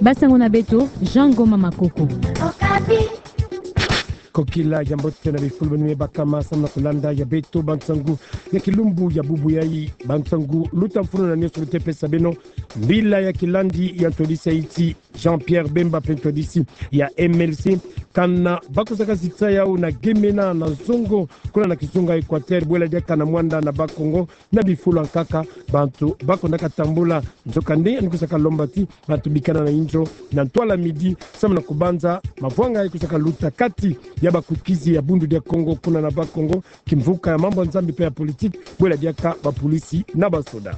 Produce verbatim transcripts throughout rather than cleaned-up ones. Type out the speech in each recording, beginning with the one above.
Basango na beto, Jean Ngoma Makoko. Kokila ya mbote na bifulu beno me bakama samu na kulanda ya beto bansangu ya kilumbu ya bubu yayi. Bansangu luta mfunu na nionso lutê pesa beno. Mbila ya kilandi ya ntwadisi ya insi, Jean-Pierre Bemba, mpe ntwadisi ya M L C, kana ba kusaka zitisa yawu na gemena na zongo kuna na kizunga Equateur, bwela diaka na Muanda na Bas-Congo, na bifulu ya nkaka bantu ba kondaka tambula. Nzokande yandi kusaka lomba ti bantu bikana na inzo na ntwala midi samu na kubanza mavwanga yayi kusaka luta kati ya bakwikizi ya Bundu dia Kongo kuna na Bas-Congo, kimvuka ya mambu ya Nzambi mpe ya politique, bwela diaka bapolisi na basoda.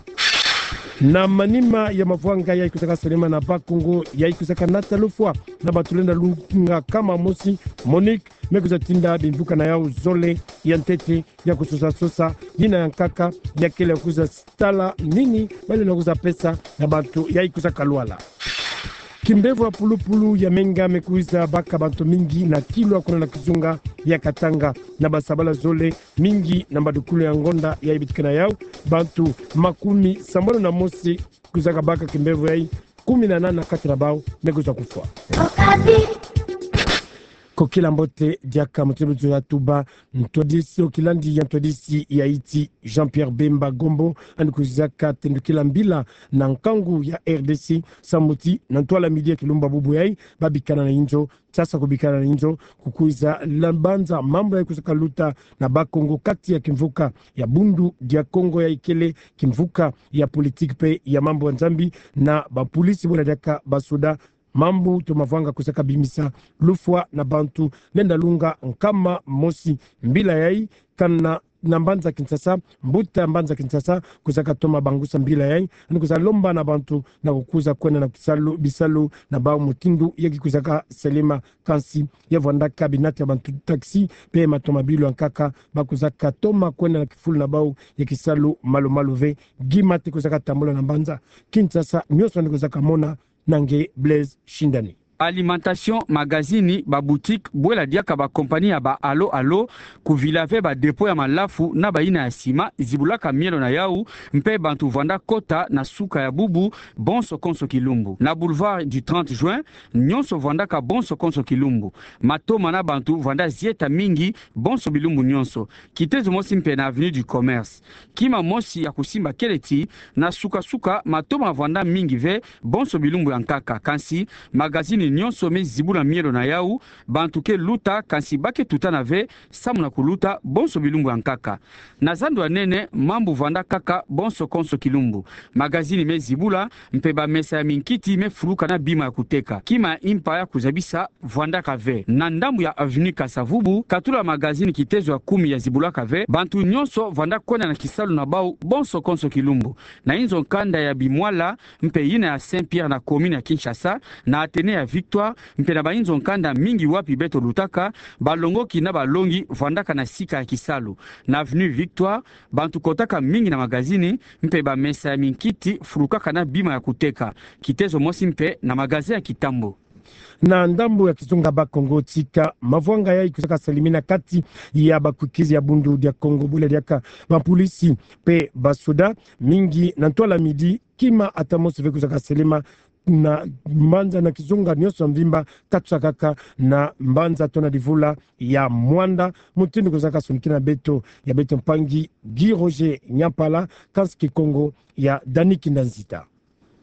Na manima ya mavwanga yayi kusaka salama na Bas-Congo, yayi kusaka nata lufwa na bantu lenda lunga nkama mosi, Monique me kwiza tinda bimvuka na yawu zole ya ntete ya kusosa-sosa, yina ya nkaka, ya kele ya kwiza tala nini ba lenda kwiza pesa na bantu yayi kusaka lwala. Kimbevo ya pulupulu ya menga me kwiza baka bantu mingi na Kilwa kuna na kizunga ya Katanga. Na basabala zole, mingi na mbadukulu ya ngonda yayi bitikana yawu, bantu makumi sambanu na mosi kwiza kabaka kimbevo yayi, kumi na nana kati na bawu me kwiza kufwa. Kokila mbote diaka, mutindu tuzola tuba, ntwadisi ya kilandi ya ntwadisi ya insi, Jean-Pierre Bemba Gombo, yandi kwizaka tendukila mbila na nkangu ya R D C, samu ti na ntwala midi ya kilumbu ya bubu yayi, ba bikana na inzo, sasa kubikana na inzo, kukwiza la banza mambu yayi kusaka luta na Bas-Congo kati ya kimvuka ya Bundu dia Kongo yayi kele kimvuka ya politique mpe ya mambu ya Nzambi, na bapolisi bwela diaka basoda, mambu to mavwanga kusaka bimisa lufwa na bantu lenda lunga nkama mosi. Mbila yayi kana na mbanza Kinshasa, mbuta mbanza Kinshasa kusaka toma bangusa mbila yayi, yandi kwiza lomba na bantu na kukwiza kwenda na kisalu, bisalu na bawu mutindu ya kikwizaka salama. Kansi ya vwandaka binati ya bantu taxi mpe matomabilu ya nkaka, ba kwizaka toma kwenda na kifulu na bawu ya kisalu malu-malu ve. Gi mate kwizaka tambula na mbanza Kinshasa, nionso yandi kwizaka mona. Na nge Blaise Shindani. Alimentation, magazini, baboutique, bwela diaka bakompani ya ba Allo Allo kuvila ve badépôt ya malafu na bayina ya sima zibulaka mielo na yawu, mpe bantu vwanda kota na suka ya bubu bonso konso kilumbu. Na boulevard du trente juin, nionso vwandaka bonso konso kilumbu. Matoma na bantu vwanda zieta mingi bonso bilumbu nionso. Kitezo mosi mpe na avenue du Commerce. Kima mosi ya kusimba kele ti, na suka-suka matoma vwanda mingi ve bonso bilumbu ya nkaka. Kansi magazini nionso me zibula mielo na yawu, bantu ke luta, kansi ba ke tutana ve samu na kuluta bonso bilumbu ya nkaka. Na zandu ya nene, mambu vwanda kaka bonso konso kilumbu. Magazini me zibula, mpe bamesa ya minkiti me fuluka na bima ya kuteka. Kima ya impa ya kuzabisa vwandaka ve. Na ndambu ya avenue Kasa-Vubu, katula magazini kitezo ya kumi ya zibulaka ve, bantu nionso vwanda kwenda na kisalu na bawu bonso konso kilumbu. Na inzo nkanda ya Bimwala, mpe yina ya Saint-Pierre na commune ya Kinshasa, na Athénée ya Victoire, mpe na bainzo nkanda mingi wapi beto lutaka, balongoki na balongi vwandaka na sika ya kisalu. Na avenue Victoire, bantu kotaka mingi na magazini, mpe bamesa ya minkiti fulukaka na bima ya kuteka. Kitezo mosi mpe na magasin ya Kitambo. Na ndambu ya kizunga Bas-Congo, tika mavwanga yayi kwizaka salamina kati ya bakwikizi ya Bundu dia Kongo, bwela diaka bapolisi mpe basoda, mingi na ntwala midi, kima ata mosi ve kwizaka salama na mbanza na kizunga nionso mvimba, katusa kaka na mbanza to na divula ya Muanda, mutindu kwizaka sonikina beto ya beto mpangi Guy Roger Nyampala, kansi Kikongo ya Dani Kinda Nzita.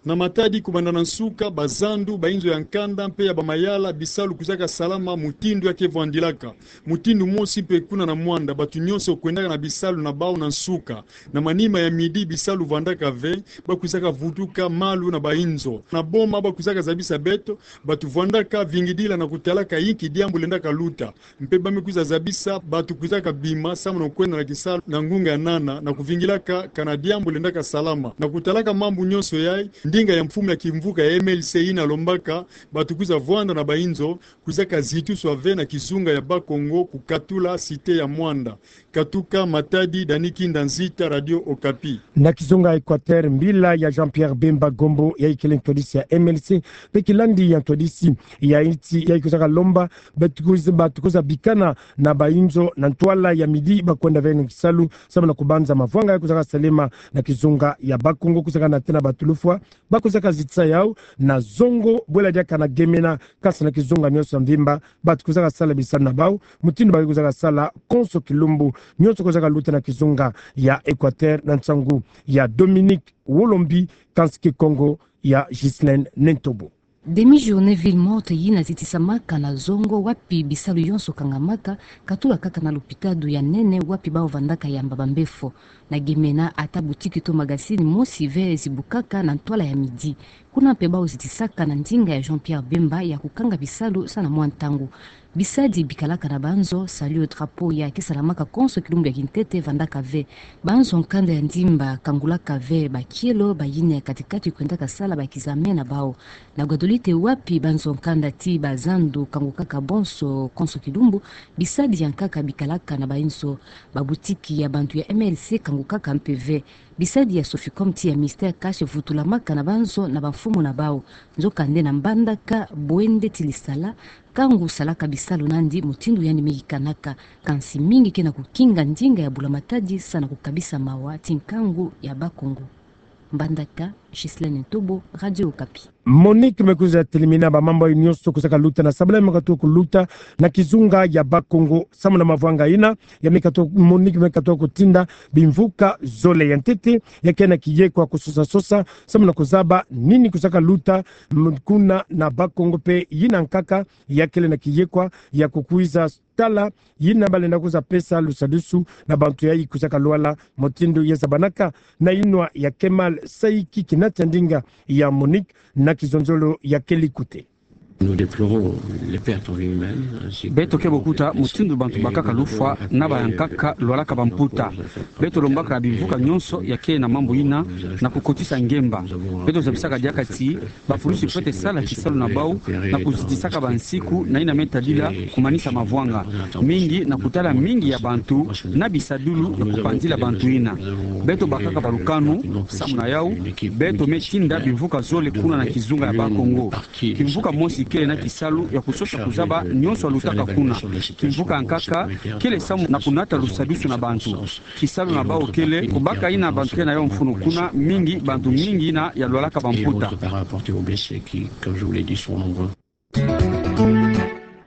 Na matadi, kubanda na nsuka, bazandu, bainzo ya nkanda mpe ya bamayala, bisalu kwizaka salama mutindu ya ke vwandilaka. Mutindu mosi mpe kuna na Muanda, bantu nionso kwendaka na bisalu na bawu na nsuka. Na manima ya midi, bisalu vwandaka ve, ba kwizaka vutuka malu na bainzo. Na boma, ba kwizaka zabisa beto, bantu vwandaka vingidila na kutalaka inki diambu lendaka luta. Mpe ba me kwiza zabisa bantu kwizaka bima samu na kwenda na kisalu na ngunga ya nana, na kuvingilaka kana diambu lendaka salama. Na kutalaka mambu nionso yayi, ndinga ya mfumu ya kimvuka ya M L C yina lombaka bantu kwiza vwanda na bainzo, kwizaka zituswa ve na kizunga ya Bas-Congo, kukatula cité ya Muanda. Katuka Matadi, Dani Kinda Nzita, Radio Okapi. Na kizunga Equateur, mbila ya Jean-Pierre Bemba Gombo, ya ikele ntwadisi ya M L C, pe kilandi ya ntwadisi ya insi, ya ikusaka lomba, batu kwiza, batu kwiza bikana na bayinzo na ntwala ya midi, ba kwenda ve na kisalu, samu na kubanza mavwanga ya kwizaka salema na kizunga ya Bas-Congo, kwizaka natena batu lufwa, ba kwizaka zitisa yawu na zongo, bwela diaka na gemena, kansi na kizunga nyonso ya mvimba, batu kwizaka sala bisalu na bawu, mutindu ba kwizaka sala konso kilumbu, nyonso kwizaka luta na kizunga ya Equateur na nsangu ya Dominique Wolombi, kansi Kikongo ya Ghislaine Nentobo. Demi-journée ville morte yina zitisamaka na zongo wapi bisalu yonso kangamaka, katula kaka na lopitalo ya nene wapi bawu vandaka yamba bambefo. Na gemena ata boutique to magazine mosi ve zibukaka na ntwala ya midi. Kuna mpe bawu zitisaka na ndinga ya Jean-Pierre Bemba ya kukanga bisalu samu na mwa ntangu. Bisadi bikalaka na banzo, salut au drapeau ya ke salamaka konso kilumbu ya kintete vandaka ve. Banzo nkanda ya ndimba kangulaka ve bakielo, bayina ya kati-kati kwendaka sala ba examen na bawu. Na Guadeloupe wapi banzo nkanda ti bazandu kangukaka bonso konso kilumbu, bisadi ya nkaka bikalaka na bayinzo, ba boutique ya bantu ya M L C kangukaka mpe ve. Bisadi ya Soficom ti ya Mister Cash vutulamaka na banzo na bamfumu na bawu. Nzokande na Mbandaka, bwende ti lisala, kangu salaka bisalu nandi mutindu yandi me yikanaka, kansi mingi ke na kukinga ndinga ya bula-matadi samu na kukabisa mawa ti nkangu ya Bas-Congo. Mbandaka, Ghislaine Ntobo, Radio Okapi. Monique me kwiza telimina bamambu nyonso kwizaka luta na sabala me katuka kuluta na kizunga ya Bas-Congo samu na mavwanga yina, ya me katuka, Monique me katuka kutinda bimvuka zole. Ya ntete, ya ke na kiyekwa kusosa-sosa samu na kuzaba nini kwizaka luta, m-, kuna na Bas-Congo mpe yina nkaka ya kele na kiyekwa ya kukwiza tala yina ba lenda kwiza pesa lusadusu na bantu yayi kwizaka lwala, mutindu ya zabanaka na yinwa ya Kemal Saiki, kinata ndinga ya Monique, na kizonzolo ya kele kute. Nous déplorons les pertes en vie humaine, ainsi que... Beto kebo kuta mutindu bantu bakaka lufwa na bayankaka lwalaka bamputa. Beto lombaka na bimvuka nyonso ya ke na mambu yina na kukotisa ngemba. Beto zabisaka diaka ti bapulusi fwete sala kisalu na bawu na kuzitisaka bansiku na yina me tadila kumanisa mavwanga, mingi na kutala mingi ya bantu na bisadulu ya kupanzila bantu yina. Beto bakaka balukanu, samu na yawu beto me tinda bimvuka zole kuna na kizunga ya Bas-Congo. Kimvuka mosi kele na kisalu ya kusosa kuzaba nyonso yalutaka kuna. Kimvuka ya nkaka kele samu na kunata lusadusu na bantu. Kisalu na bawu kele kubaka yina bantu ke na yo mfunu kuna, mingi bantu mingi yina yalwalaka bamputa.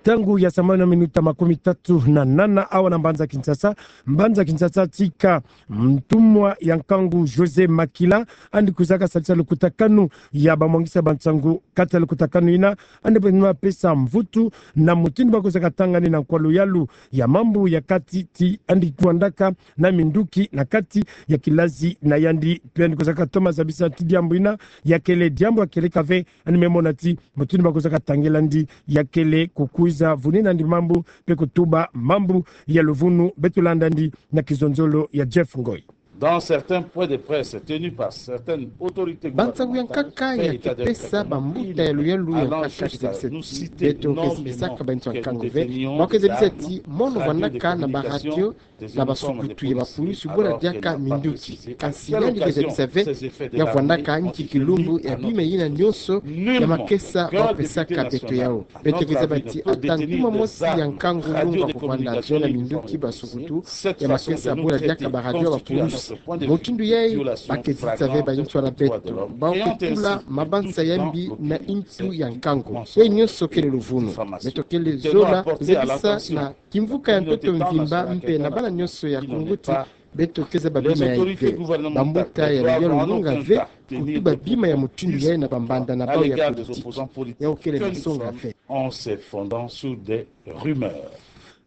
Ntangu ya sambanu na minuta makumi tatu na nana awa na mbanza Kinshasa. Mbanza Kinshasa tika ntumwa ya nkangu José Makila, yandi kwizaka salisa lukutakanu ya bamwangisa bansangu kati ya lukutakanu yina, yandi mpe pesa mvutu na mutindu ba kwizaka tanga nde na nkwa luyalu ya mambu ya kati ti yandi vwandaka na minduki na kati ya kilazi na yandi. Mpe yandi kwizaka toma zabisa ti diambu yina ya kele diambu ya kieleka ve, yandi me mona ti mutindu ba kwizaka tangela yandi ya kele kukwiza vunina yandi mambu mpe kutuba mambu ya luvunu. Beto landa yandi na kizonzolo ya Jeff Ngoy. Dans certains points de presse tenus par certaines autorités gouvernementales, bansangu ya nkaka ya ke pesa bambuta ya luyalu ya nkaka, beto ke zabisaka bantu ya nkangu ve, ba ke zabisa ti mono vwandaka na baradio na basukutu ya bapulusi bwela diaka minduki. Kansi yandi ke zabisa ve ya vwandaka nki kilumbu ya bima yina nyonso ya makesa ba pesaka beto yawu. Beto ke zaba ti ata ntuma mosi ya nkangu lungwa kuvwanda na minduki, basukutu ya makesa bwela diaka baradio, bapulusi. Mutindu yayi ba ke zitisa ve ba intu na beto. Ba ke tula mabanza ya mbi na intu ya nkangu. Yayi nyonso kele luvunu. Beto kele zola zabisa na kimvuka ya ntoto mvimba mpe na bana nyonso ya Kongo ti beto ke zaba bima yayi ve. Bambuta ya luyalu lunga ve kutuba bima ya mutindu yayi na bambanda na bawu ya politiki. Yawu kele masonga ve. En se fondant sur des rumeurs.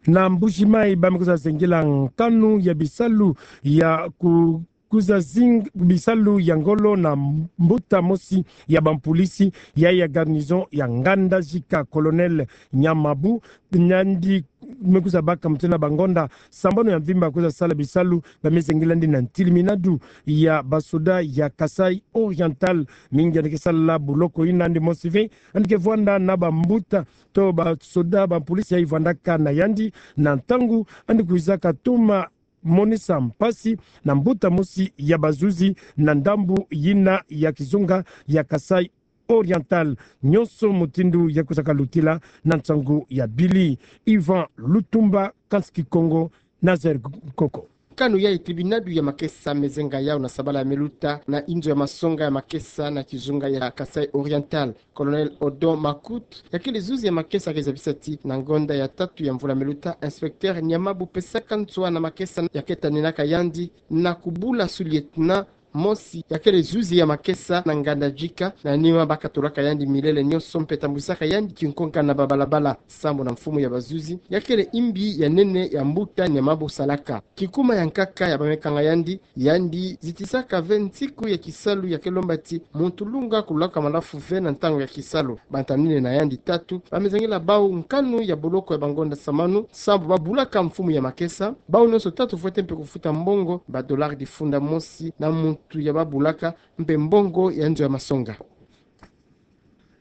Na Mbuji-Mayi, ba me kwiza zengela nkanu ya bisalu ya ku-, kwiza zinga bisalu ya ngolo na mbuta mosi ya bampolisi ya, ya garnison ya Nganda Zika, Colonel Nyamabu. Yandi me kwiza baka mutindu na bangonda sambanu ya mvimba kwiza sala bisalu, ba me zengela yandi na ntiliminadu ya basoda ya Kasaï Oriental. Mingi yandi ke sala buloko yina, yandi mosi ve yandi ke vwanda na bambuta to basoda, bampolisi yayi vwandaka na yandi, na ntangu yandi kwizaka toma monisa mpasi na mbuta mosi ya bazuzi na ndambu yina ya kizunga ya Kasaï Oriental. Nyonso mutindu ya kusaka lutila na nsangu ya bili. Yvan Lutumba, Kansi Kikongo, Nazaire Koko. Nkanu yayi tribinadu ya makesa mezenga yawu na sabala ya meluta na inzo ya masonga ya makesa na kizunga ya Kasaï Oriental. Colonel Odon Makuth, ya kele zuzi ya makesa, ke zabisa ti na ngonda ya tatu ya mvula meluta, inspecteur Niamabu pesaka nswa na makesa ya ke taninaka yandi na kubula sous-lieutenant mosi ya kele zuzi ya makesa na nganda jika, na nima ba katolaka yandi milele nyonso mpe tambusaka yandi kinkonga na babalabala. Sambu na mfumu ya bazuzi, ya kele imbi ya nene ya mbuta Niamabu salaka. Kikuma ya nkaka ya ba me kanga yandi, yandi zitisaka ve nsiku ya kisalu ya ke lomba ti muntu lunga kulaka malafu ve na ntangu ya kisalu. Bantanineno na yandi tatu ba me zangila bawu nkanu ya boloko ya bangonda samanu, sambu ba bulaka mfumu ya makesa. Bawu nyonso tatu fwete mpe kufuta mbongo, ba dollars difunda mosi na muntu ya ba bulaka, mpe mbongo ya nzo ya masonga.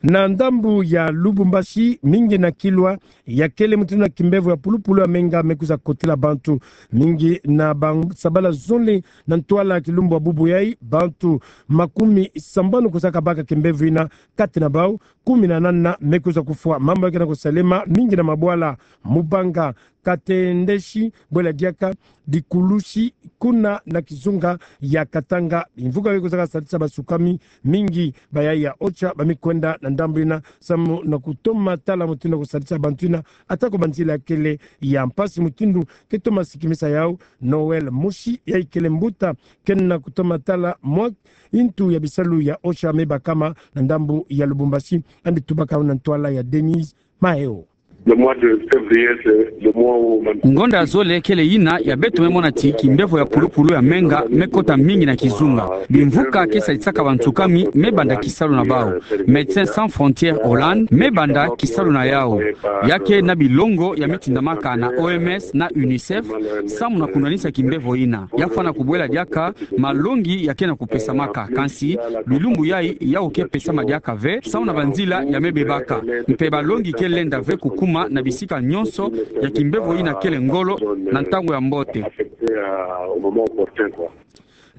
Na ndambu ya Lubumbashi, mingi na kilwa ya kele mutindu na kimbevo ya pulupulu ya menga me kwiza kotila bantu. Mingi na ba sabala zole na ntwala ya kilumbu ya bubu yayi, bantu makumi sambanu kwiza kabaka kimbevo yina, kati na bawu kumi na nana me kwiza kufwa. Mambu ya ke na kusalema mingi na mabwala, Mubanga, Katendesi, bwela diaka Dikulusi, kuna na kizunga ya Katanga. Bimvuka bie kwiza kasadisa basukami, mingi ba yayi ya OCHA ba me kwenda na ndambu yina samu na kutoma tala mutindu na kusadisa bantu yina, atako banzila ya kele ya mpasi. Mutindu ke toma sikimisa yawu, Noël Musi, yayi kele mbuta ke na kutoma tala mwa ntu ya bisalu ya OCHA me bakama na ndambu ya Lubumbashi, yandi tubaka yawu na ntwala ya Denise Maheo. Le mois de février, c'est le mois où... Ngonda ya zole kele yina ya beto me mona ti kimbevo ya pulupulu ya menga me kota mingi na kizunga. Bimvuka ke sadisaka bansukami me banda kisalu na bawu. Médecins Sans Frontières Hollande me banda kisalu na yawu. Ya ke na bilongo ya me tindamaka na OMS na UNICEF samu na kunwanisa kimbevo yina. Ya fwana kubwela diaka malongi ya ke na kupesamaka. Kansi bilumbu yayi yawu ke pesama diaka ve samu na banzila ya me bebaka. Mpe balongi ke lenda ve kukuma na bisika nyonso ya kimbevo yina kele ngolo na ntangu ya mbote.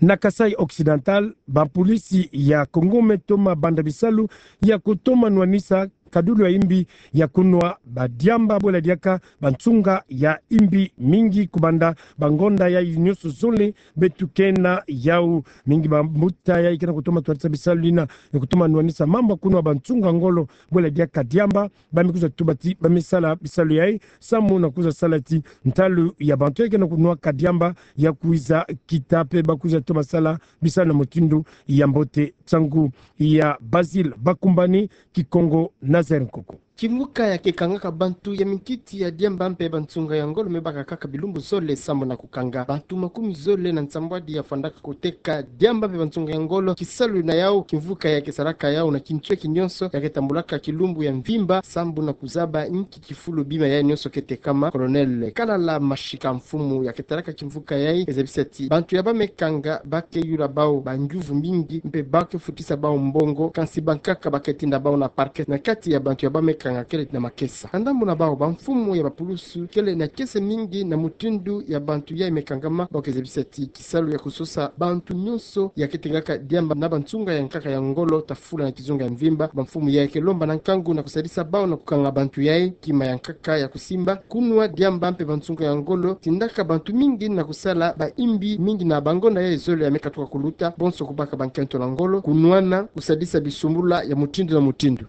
Na Kasaï Occidental, bapolisi ya Congo me toma banda bisalu ya kutoma nwanisa kadulu ya imbi ya kunwa badiamba, bwela diaka bansunga ya imbi, mingi kubanda bangonda yayi nyonso zole beto ke na yawu. Mingi bambuta yayi ke na kutoma twadisa bisalu yina ya kutoma nwanisa mambu ya kunwa bansunga ngolo, bwela diaka diamba, ba me kwiza tuba ti ba me sala bisalu yayi samu na kwiza sala ti ntalu ya bantu yayi ke na kunwa kadiamba ya kwiza kita mpe ba kwiza toma sala bisalu na mutindu ya mbote. Nsangu ya Basile Bakumbani, Kikongo, Nazaire Nkoko. Kimvuka ya ke kangaka bantu ya minkiti ya diamba mpe bansunga ya ngolo me baka kaka bilumbu zole samu na kukanga. Bantu makumi zole na nsambwadi ya fwandaka koteka diamba mpe bansunga ya ngolo. Kisalu na yawu, kimvuka ya ke salaka yawu na kintweki nyonso ya ke tambulaka kilumbu ya mvimba samu na kuzaba inki kifulu bima yayi nyonso ke tekama. Colonel Kalala Mashika, mfumu ya ke talaka kimvuka yayi, ke zabisa ti bantu ya ba me kanga ba ke yula bawu bangyuvu mingi mpe ba ke futisa bawu mbongo, kansi bankaka ba ke tinda bawu na parquet na kati ya bantu ya ba me kanga kele na makesa. Na ndambu na bawu, bamfumu ya bapulusu kele na kiese mingi na mutindu ya bantu yayi me kangama. Bawu ke zabisa ti kisalu ya kusosa bantu nyonso ya ke tengaka diamba na bansunga ya nkaka ya ngolo ta fula na kizunga ya mvimba. Bamfumu yayi ke lomba na nkangu na kusadisa bawu na kukanga bantu yayi. Kima ya nkaka ya kusimba, kunwa diamba mpe bansunga ya ngolo tindaka bantu mingi na kusala baimbi mingi na bangonda yayi zole ya me katuka kuluta, bonso kubaka bankento na ngolo, kunwana, kusadisa bisumbula ya mutindu na mutindu.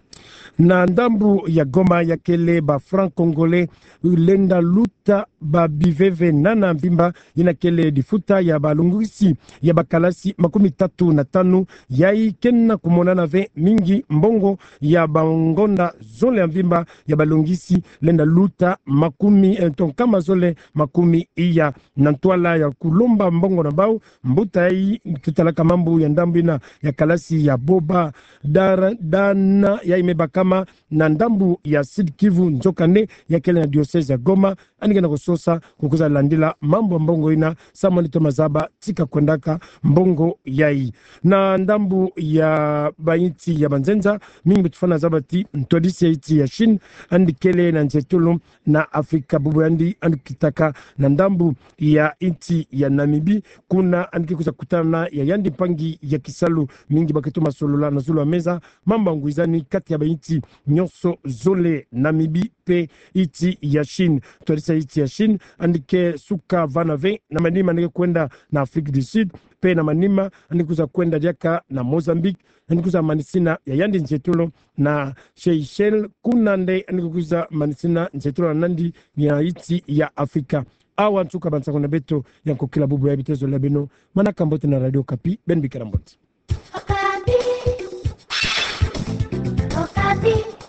Na ndambu ya Goma, ya kele ba francs congolais lenda luta ba biveve nana mvimba, yina kele difuta ya balongisi ya bakalasi makumi tatu na tanu, yayi ke na kumonana ve mingi mbongo ya bangonda zole ya mvimba ya balongisi lenda luta makumi, eh, to nkama zole makumi iya. Na ntwala ya kulomba mbongo na bawu, mbuta yayi ke talaka mambu ya ndambu yina ya kalasi ya Boba Dara-, Dana, yayi me bakama na ndambu ya Sud-Kivu, nzokande ya kele na diocèse ya Goma, yandi ke na kusosa, kukwiza landila mambu ya mbongo ina, samu yandi toma zaba tika kwendaka mbongo yayi. Na ndambu ya bainsi ya banzenza, mingi beto fwana zaba ti ntwadisi ya insi ya Chine, yandi kele na nzietolo na Afrika, bubu yandi yandi kitaka na ndambu ya insi ya Namibie, kuna yandi ke kwiza kutana ya yandi mpangi ya kisalu, mingi ba ke toma solola na zulu ya meza, mambu ya ngwizani kati ya bainsi nyonso zole, Namibie mpe insi ya Chine. Ntwadisi ya insi ya Chine, yandi ke suka vana ve, na manima yandi ke kwenda na Afrique du Sud, mpe na manima yandi kwiza kwenda diaka na Mozambique, yandi kwiza manisina ya yandi nzietolo na Seychelles, kuna nde yandi ke kwiza manisina nzietolo na nandi ya insi ya Afrika. Awa nsuka bansango na beto ya nkokila bubu ya bitezo la beno, manaka mbote na Radio Okapi, beno bikira mbote. Okapi. Okapi.